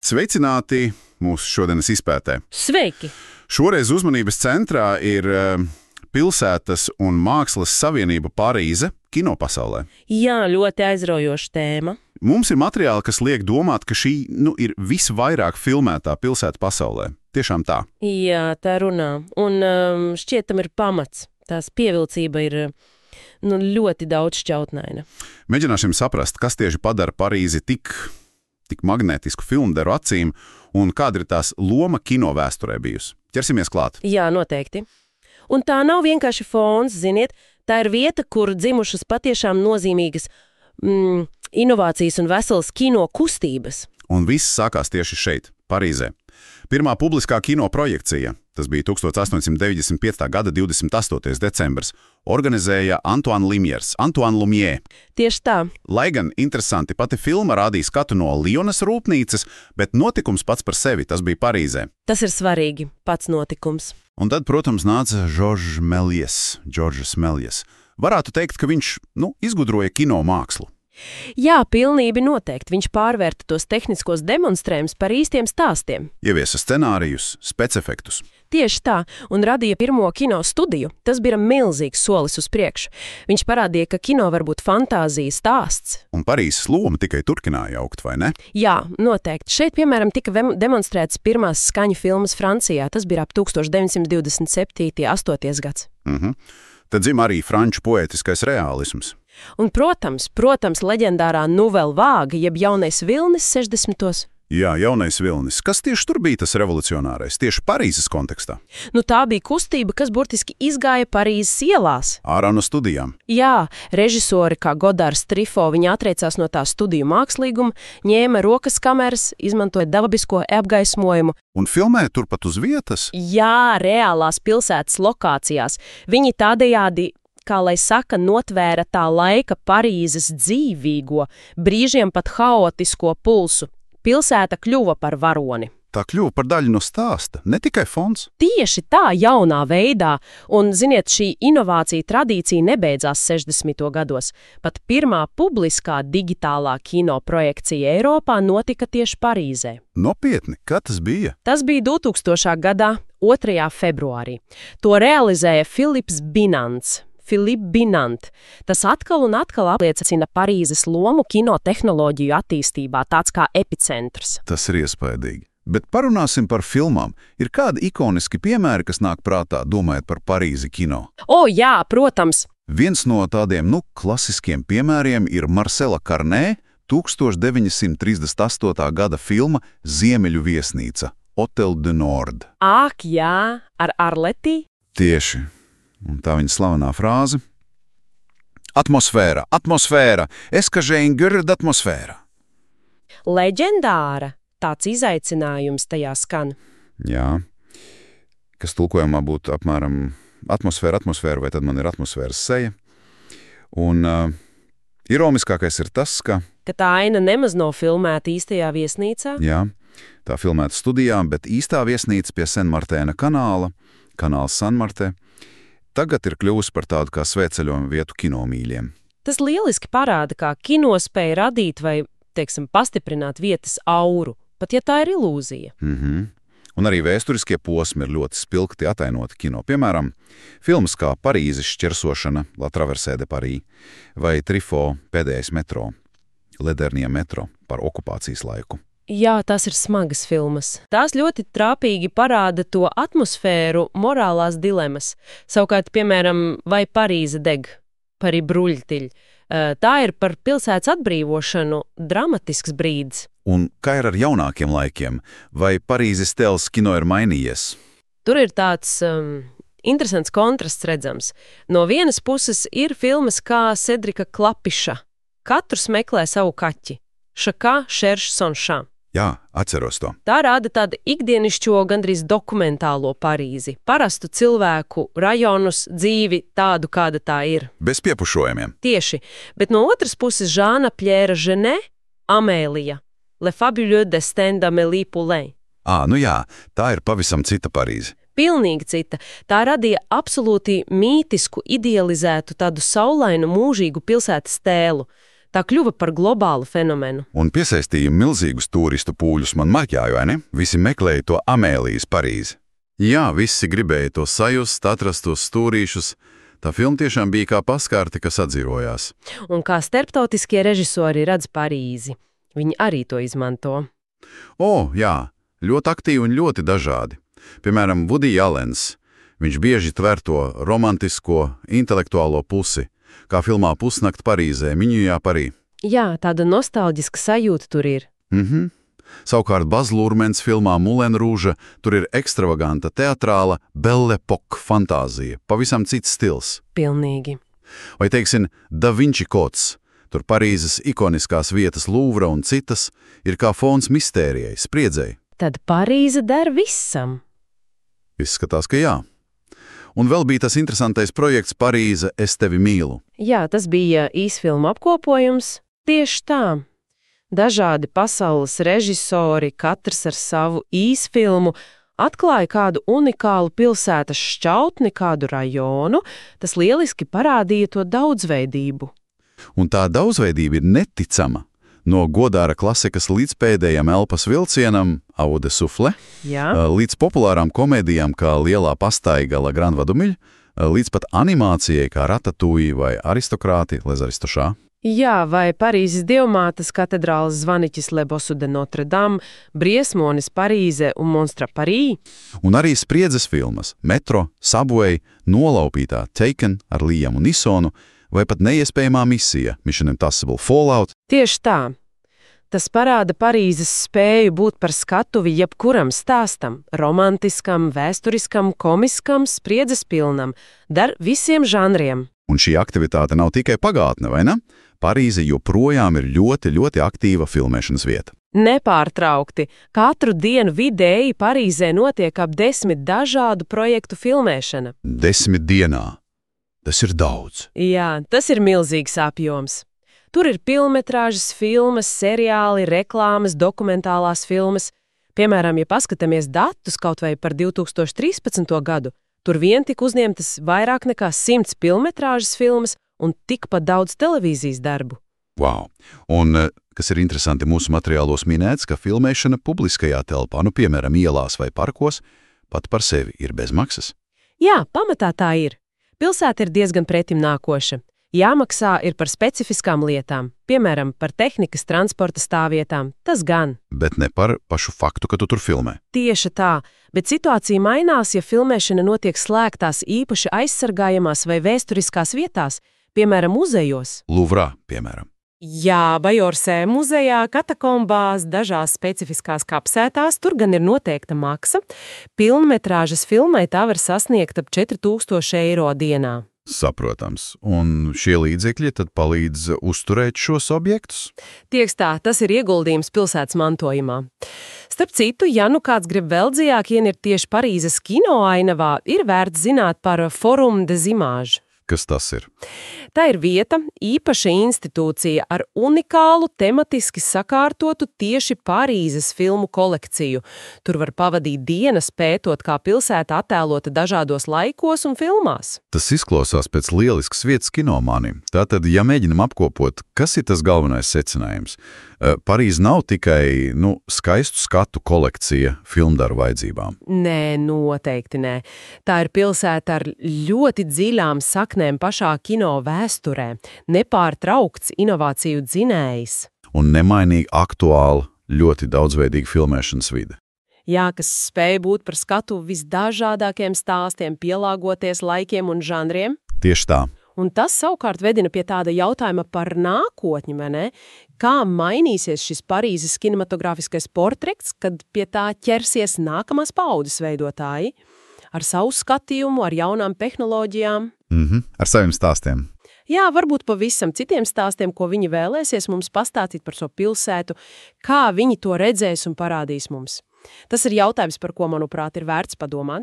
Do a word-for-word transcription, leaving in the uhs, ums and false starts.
Sveicināti mūsu šodienas izpētē. Sveiki! Šoreiz uzmanības centrā ir uh, pilsētas un mākslas savienība Parīze kinopasaulē. Jā, ļoti aizraujoša tēma. Mums ir materiāli, kas liek domāt, ka šī nu, ir visvairāk filmētā pilsēta pasaulē. Tiešām tā. Jā, tā runā. Un um, šķiet, tam ir pamats. Tās pievilcība ir nu, ļoti daudz šķautnaina. Mēģināsim saprast, kas tieši padara Parīzi tik... tik magnētisku filmderu acīm, un kāda ir tās loma kino vēsturē bijusi. Ķersimies klāt. Jā, noteikti. Un tā nav vienkārši fons, ziniet, tā ir vieta, kur dzimušas patiešām nozīmīgas mm, inovācijas un veselas kino kustības. Un viss sākās tieši šeit, Parīzē. Pirmā publiskā kino projekcija, tas bija tuksstoš astoņsimt deviņdesmit piekta gada divdesmit astotais decembris, organizēja Antoine Lumière, Antoine Lumière. Tieši tā. Lai gan interesanti, pati filma rādīja skatu no Lionas rūpnīcas, bet notikums pats par sevi, tas bija Parīzē. Tas ir svarīgi, pats notikums. Un tad, protams, nāca Georges Méliès, Georges Méliès. Varētu teikt, ka viņš, nu, izgudroja kino mākslu. Jā, pilnīgi noteikti. Viņš pārvērta tos tehniskos demonstrējumus par īstiem stāstiem. Ieviesa scenārijus, specefektus. Tieši tā, un radīja pirmo kino studiju. Tas bija milzīgs solis uz priekšu. Viņš parādīja, ka kino var būt fantāzijas stāsts. Un Parīzes loma tikai turpināja augt, vai ne? Jā, noteikti. Šeit, piemēram, tika demonstrētas pirmās skaņu filmas Francijā. Tas bija ap tuksstoš deviņsimt divdesmit septītais astotais gads. Mhm. Tad dzim arī franču poētiskais reālisms. Un, protams, protams, leģendārā Nouvelle Vague, jeb jaunais vilnis sešdesmitos. Jā, jaunais vilnis. Kas tieši tur bija tas revolucionārais, tieši Parīzes kontekstā? Nu, tā bija kustība, kas burtiski izgāja Parīzes ielās. Ārā no studijām. Jā, režisori kā Godārs Trifo, viņi atteicās no tā studiju mākslīguma, ņēma rokas kameras, izmantoja dabisko apgaismojumu. Un filmēja turpat uz vietas? Jā, reālās pilsētas lokācijās. Viņi tādējādi, kā lai saka, notvēra tā laika Parīzes dzīvīgo, brīžiem pat haotisko pulsu. Pilsēta kļuva par varoni. Tā kļuva par daļu no stāsta, ne tikai fons. Tieši tā, jaunā veidā, un, ziniet, šī inovācija tradīcija nebeidzās sešdesmito gados. Pat pirmā publiskā digitālā kino projekcija Eiropā notika tieši Parīzē. Nopietni, kā tas bija? Tas bija divtūkstošā gadā, otrajā februārī. To realizēja Philips Binants. Philippe Binant. Tas atkal un atkal apliecina Parīzes lomu kinotehnoloģiju attīstībā, tāds kā epicentrs. Tas ir iespaidīgi. Bet parunāsim par filmām. Ir kādi ikoniski piemēri, kas nāk prātā, domājot par Parīzi kino? O, jā, protams! Viens no tādiem, nu, klasiskiem piemēriem ir Marcela Carné, tuksstoš deviņsimt trīsdesmit astotā gada filma Ziemeļu viesnīca, Hôtel du Nord. Ak, jā, ar Arletī? Tieši. Un tā viņa slavenā frāze. Atmosfēra, atmosfēra, es ka žēngir d'atmosfēra. Leģendāra, tāds izaicinājums tajā skan. Jā, kas tulkojumā būtu apmēram atmosfēra, atmosfēra, vai tad man ir atmosfēras seja. Un uh, ironiskākais ir tas, ka... Ka tā aina nemaz nav filmēta īstajā viesnīcā? Jā, tā filmēta studijā, bet īstā viesnīca pie Senmartēna kanāla, kanāls Sanmartē, tagad ir kļuvusi par tādu kā svētceļojumu vietu kinomīļiem. Tas lieliski parāda, kā kino spēja radīt vai, teiksim, pastiprināt vietas auru, pat ja tā ir ilūzija. Mhm. Un arī vēsturiskie posmi ir ļoti spilgti atainoti kino. Piemēram, filmas kā Parīzes šķersošana, La Traversée de Paris, vai Trifo pēdējais metro, Le Dernier metro par okupācijas laiku. Jā, tās ir smagas filmas. Tās ļoti trāpīgi parāda to atmosfēru, morālās dilemas. Savukārt, piemēram, vai Parīze deg, Parī bruļtiļ. Tā ir par pilsētas atbrīvošanu dramatisks brīdis. Un kā ir ar jaunākiem laikiem? Vai Parīzes tēls kino ir mainījies? Tur ir tāds um, interesants kontrasts redzams. No vienas puses ir filmas kā Cedrika Klapiša. Katrs meklē savu kaķi. Chacun cherche son chat. Jā, atceros to. Tā rāda tādu ikdienišķo, gandrīz dokumentālo Parīzi. Parastu cilvēku, rajonus, dzīvi tādu, kāda tā ir. Bez piepušojumiem. Tieši. Bet no otras puses Žāna Pjēra Ženē, Amēlija, Le Fabuleux Destin d'Amélie Poulain. Ā, nu jā, tā ir pavisam cita Parīze. Pilnīgi cita. Tā radīja absolūti mītisku, idealizētu tādu saulainu, mūžīgu pilsētas tēlu. Tā kļuva par globālu fenomenu. Un piesaistīja milzīgus turistu pūļus man marķāju, vai ne? Visi meklēja to Amēlijas Parīzi. Jā, visi gribēja to sajust, atrast tos stūrīšus. Tā filma tiešām bija kā paskārte, kas atdzīvojās. Un kā starptautiskie režisori redz Parīzi. Viņi arī to izmanto. O, jā, ļoti aktīvi un ļoti dažādi. Piemēram, Woody Allens. Viņš bieži tver to romantisko, intelektuālo pusi, kā filmā Pusnakt Parīzē, Miņujā Parī. Jā, tāda nostalģiska sajūta tur ir. Mhm. Savukārt Baz Lurmens filmā Moulin Rouge tur ir ekstravaganta teatrāla Belle Époque fantāzija, pavisam cits stils. Pilnīgi. Vai teiksim, Da Vinci kods. Tur Parīzes ikoniskās vietas Louvra un citas ir kā fons mistērijai, spriedzei. Tad Parīze der visam. Izskatās, ka jā. Un vēl bija tas interesantais projekts Parīze, es tevi mīlu. Jā, tas bija īsfilmu apkopojums. Tieši tā. Dažādi pasaules režisori, katrs ar savu īsfilmu, atklāja kādu unikālu pilsētas šķautni, kādu rajonu. Tas lieliski parādīja to daudzveidību. Un tā daudzveidība ir neticama. No godāra klasikas līdz pēdējam elpas vilcienam, Eau de Souffle, Jā. līdz populārām komēdijām kā Lielā pastaiga La Grande Vadumille, līdz pat animācijai kā Ratatouille vai Aristokrāti, Les Aristošā. Jā, vai Parīzes dievmātes katedrāles zvaniķis Le Bossu de Notre Dame, Briesmonis Parīze un Monstra Parī. Un arī spriedzes filmas Metro, Subway, Nolaupītā Taken ar Liamu Nisonu vai pat neiespējamā misija Mission Impossible Fallout. Tieši tā. Tas parāda Parīzes spēju būt par skatuvi jebkuram stāstam, romantiskam, vēsturiskam, komiskam, spriedzes pilnam, dar visiem žanriem. Un šī aktivitāte nav tikai pagātne, vai ne? Parīze joprojām ir ļoti, ļoti aktīva filmēšanas vieta. Nepārtraukti. Katru dienu vidēji Parīzē notiek ap desmit dažādu projektu filmēšana. Desmit dienā. Tas ir daudz. Jā, tas ir milzīgs apjoms. Tur ir pilnmetrāžas filmas, seriāli, reklāmas, dokumentālās filmas. Piemēram, ja paskatāmies datus kaut vai par divi tūkstoši trīspadsmito gadu, tur vien tika uzņemtas vairāk nekā simts pilnmetrāžas filmas un tikpat daudz televīzijas darbu. Wow! Un, kas ir interesanti, mūsu materiālos minēts, ka filmēšana publiskajā telpā, nu, piemēram, ielās vai parkos, pat par sevi ir bez maksas. Jā, pamatā tā ir. Pilsēta ir diezgan pretim nākoša. Jāmaksā ir par specifiskām lietām, piemēram, par tehnikas transporta stāvvietām, tas gan. Bet ne par pašu faktu, ka tu tur filmē. Tieši tā, bet situācija mainās, ja filmēšana notiek slēgtās īpaši aizsargājamās vai vēsturiskās vietās, piemēram, muzejos. Luvrā, piemēram. Jā, Bajorsē muzejā, katakombās, dažās specifiskās kapsētās, tur gan ir noteikta maksa. Pilnmetrāžas filmai tā var sasniegt ap četri tūkstoši eiro dienā. Saprotams. Un šie līdzekļi tad palīdz uzturēt šos objektus? Tieks tā, tas ir ieguldījums pilsētas mantojumā. Starp citu, ja nu kāds grib vēl dziļāk ienirt tieši Parīzes kino ainavā, ir vērts zināt par Forum des Images. Kas tas ir? Tā ir vieta, īpaša institūcija ar unikālu, tematiski sakārtotu tieši Parīzes filmu kolekciju. Tur var pavadīt dienas pētot, kā pilsēta attēlota dažādos laikos un filmās. Tas izklausās pēc lieliskas vietas kinomānim. Tātad, ja mēģinam apkopot, kas ir tas galvenais secinājums? Parīze nav tikai, nu, skaistu skatu kolekcija filmdaru vajadzībām. Nē, noteikti nē. Tā ir pilsēta ar ļoti dziļām saknēm pašā kino vēsturē, nepārtraukts inovāciju dzinējs. Un nemainīgi aktuāla, ļoti daudzveidīga filmēšanas vide. Jā, kas spēj būt par skatu visdažādākiem stāstiem, pielāgoties laikiem un žanriem. Tieši tā. Un tas savukārt vedina pie tāda jautājuma par nākotni, vai ne? Kā mainīsies šis Parīzes kinematogrāfiskais portrets, kad pie tā ķersies nākamās paudzes veidotāji? Ar savu skatījumu, ar jaunām tehnoloģijām. Mhm, ar saviem stāstiem. Jā, varbūt pavisam citiem stāstiem, ko viņi vēlēsies mums pastāstīt par šo pilsētu, kā viņi to redzēs un parādīs mums. Tas ir jautājums, par ko, manuprāt, ir vērts padomāt.